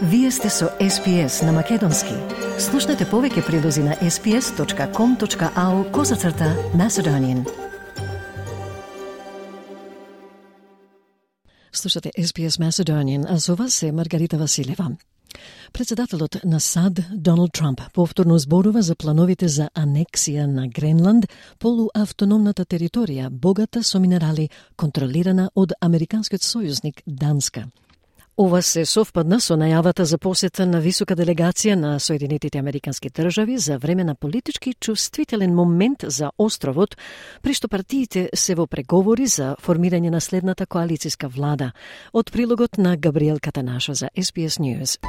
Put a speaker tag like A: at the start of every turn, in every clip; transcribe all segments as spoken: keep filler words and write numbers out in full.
A: Вие сте со Ес Пи Ес на Македонски. Слушнете повеќе прилози на ес пи ес точка ком точка ау козацрта Macedonian. Слушате Ес Пи Ес Macedonian, а со вас е Маргарита Василева. Председателот на САД Доналд Трамп повторно зборува за плановите за анексија на Гренланд, полуавтономната територија, богата со минерали, контролирана од американскиот сојузник Данска. Ова се совпадна со најавата за посета на висока делегација на Соединетите Американски држави за време на политички чувствителен момент за островот, при што партиите се во преговори за формирање на следната коалицијска влада. Од прилогот на Габриел Катанаша за Ес Би Ес News.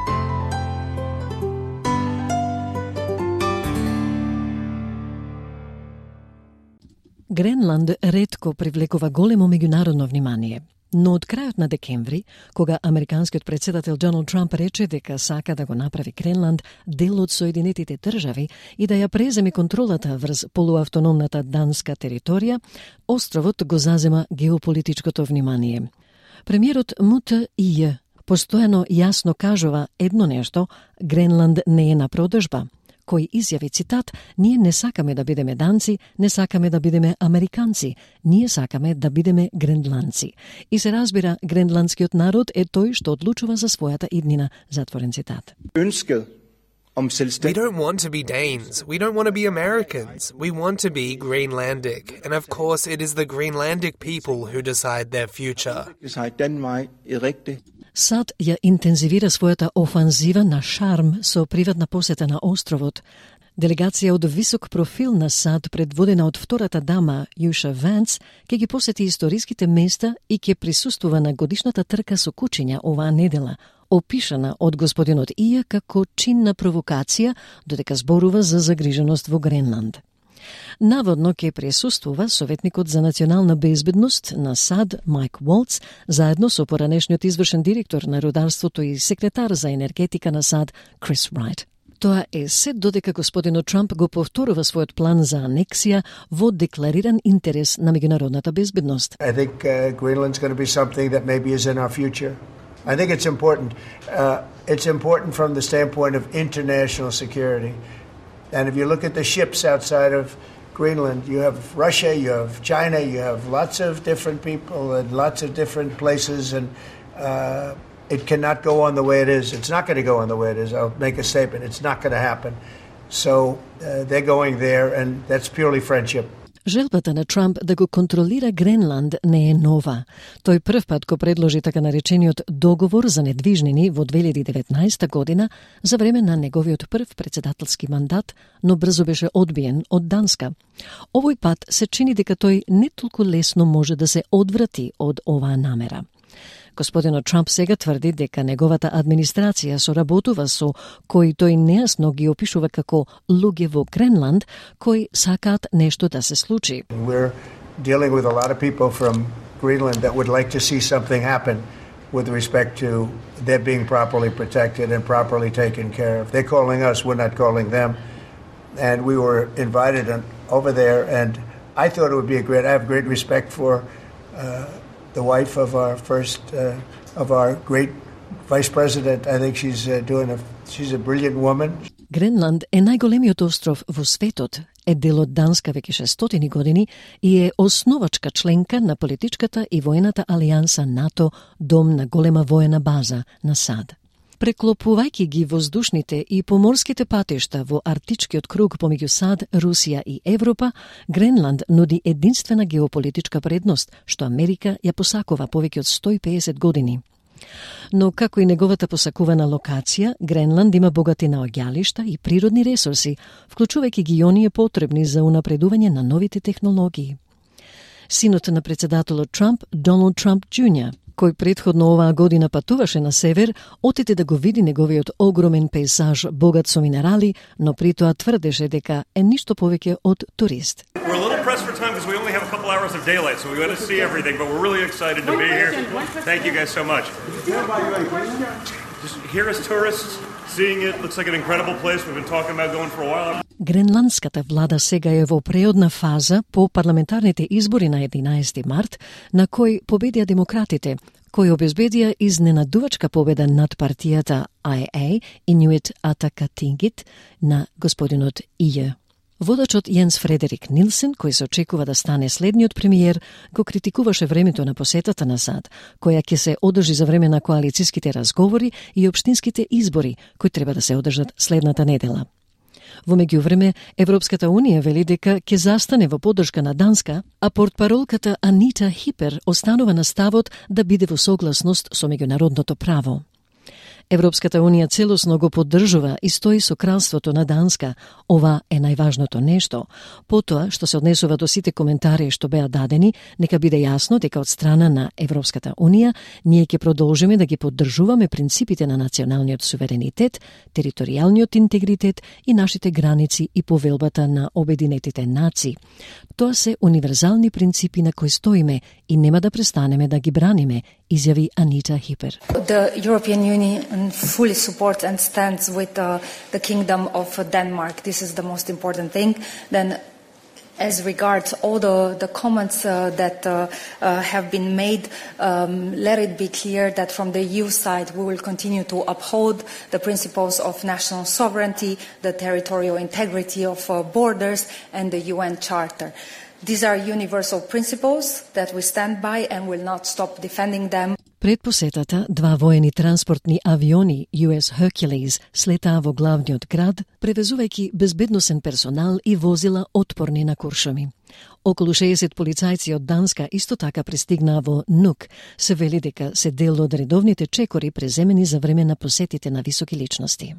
A: Гренланд ретко привлекува големо меѓународно внимание. Но од крајот на декември, кога американскиот председател Доналд Трамп рече дека сака да го направи Гренланд дел од Соединетите држави и да ја преземе контролата врз полуавтономната данска територија, островот го зазема геополитичкото внимание. Премиерот Му Те И постојано јасно кажува едно нешто: Гренланд не е на продажба, кој изјави, цитат, ние не сакаме да бидеме данци, не сакаме да бидеме американци, ние сакаме да бидеме гренландци. И се разбира, гренландскиот народ е тој што одлучува за својата иднина, затворен цитат.
B: We don't want to be Danes. We don't want to be Americans. We want to be Greenlandic. And of course, it is the Greenlandic people who decide their future.
A: САД ја интензивира својата офанзива на шарм со приватна посета на островот. Делегација од висок профил на САД, предводена од втората дама Јуша Ванс, ќе ги посети историските места и ќе присуствува на годишната трка со кучиња оваа недела, опишана од господинот И како чинна провокација, додека зборува за загриженост во Гренланд. Наводно ќе присуствува советникот за национална безбедност на САД Майк Волц, заедно со поранешниот извршен директор на рударството и секретар за енергетика на САД Крис Райт. Тоа е се додека господинот Трамп го повторува својот план за анексија во деклариран интерес на меѓународната безбедност.
C: I think uh, Greenland's going to be something that maybe is in our future. I think it's important. Uh, it's important from the standpoint of international security. And if you look at the ships outside of Greenland, you have Russia, you have China, you have lots of different people and lots of different places, and uh, it cannot go on the way it is. It's not going to go on the way it is. I'll make a statement. It's not going to happen. So uh, they're going there, and that's purely friendship.
A: Желбата на Трамп да го контролира Гренланд не е нова. Тој прв пат го предложи така наречениот договор за недвижнини во две илјади и деветнаесета година за време на неговиот прв председателски мандат, но брзо беше одбиен од Данска. Овој пат се чини дека тој не толку лесно може да се одврати од оваа намера. Господинот Трамп сега тврди дека неговата администрација соработува со кои тој нејасно ги опишува како луѓе во Гренланд кои сакаат нешто да се случи.
C: We're dealing with a lot of people from Greenland that would like to see something happen with respect to their being properly protected and properly taken care of. They're calling us, we're not calling them. And we were invited over there, and I thought it would be a great, I have great respect for uh, the wife of our first, uh, of our great vice president. I think she's uh, doing a, she's a brilliant woman.
A: Гренланд е најголемиот остров во светот, е дел од Данска веќе шестстотини години и е основачка членка на политичката и воената алијанса НАТО, дом на голема воена база на САД. Преклопувајќи ги воздушните и поморските патишта во Арктичкиот круг помеѓу САД, Русија и Европа, Гренланд нуди единствена геополитичка предност, што Америка ја посакува повеќе од сто и педесет години. Но како и неговата посакувана локација, Гренланд има богати наоѓалишта и природни ресурси, вклучувајќи ги оние потребни за унапредување на новите технологии. Синот на председателот Трамп, Доналд Трамп Џуниор, кој предходно оваа година патуваше на север, отиде да го види неговиот огромен пейзаж богат со минерали, но при тоа тврдеше дека е ништо повеќе од турист.
D: We're a little pressed for time because we only have a couple hours of daylight, so we got to see everything, but we're really excited to be here. Thank you guys so much. Just here as tourists, seeing it, looks like an incredible place we've been talking about going for a while.
A: Гренландската влада сега е во преодна фаза по парламентарните избори на единаесети март, на кој победија демократите, кои обезбедија изненадувачка победа над партијата Ай Ей, Inuit Ataqatigiit, на господинот Ије. Водачот Јенс Фредерик Нилсен, кој се очекува да стане следниот премиер, го критикуваше времето на посетата на САД, која ќе се одржи за време на коалициските разговори и општинските избори, кои треба да се одржат следната недела. Во меѓувреме, Европската Унија вели дека ќе застане во поддршка на Данска, а портпаролката Анита Хипер останува на ставот да биде во согласност со меѓународното право. Европската Унија целосно го поддржува и стои со кралството на Данска. Ова е најважното нешто. Потоа, што се однесува до сите коментари што беа дадени, нека биде јасно дека од страна на Европската Унија ние ќе продолжиме да ги поддржуваме принципите на националниот суверенитет, територијалниот интегритет и нашите граници и повелбата на Обединетите нации. Тоа се универзални принципи на кои стоиме и нема да престанеме да ги браниме, изјави Анита Хипер.
E: The European Union fully supports and stands with uh, the Kingdom of Denmark. This is the most important thing. Then, as regards all the, the comments uh, that uh, uh, have been made, um, let it be clear that from the E U side we will continue to uphold the principles of national sovereignty, the territorial integrity of uh, borders, and the U N Charter. These are universal principles that we stand by and will not stop defending them.
A: Пред посетата, два воени транспортни авиони Ю Ес Hercules слетаа во главниот град, превезувајќи безбедносен персонал и возила отпорни на куршуми. Околу шеесет полицајци од Данска исто така пристигнаа во Нук. Се вели дека се дел од редовните чекори преземени за време на посетите на високи личности.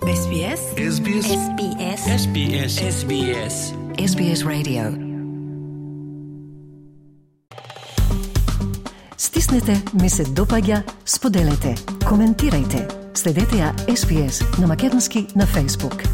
F: Ес Би Ес Ес Би Ес Ес Би Ес Ес Би Ес Ес Би Ес Ес Би Ес Radio.
A: Стиснете, ми се допаѓа, споделете, коментирајте. Следете ја Ес Би Ес на македонски на Facebook.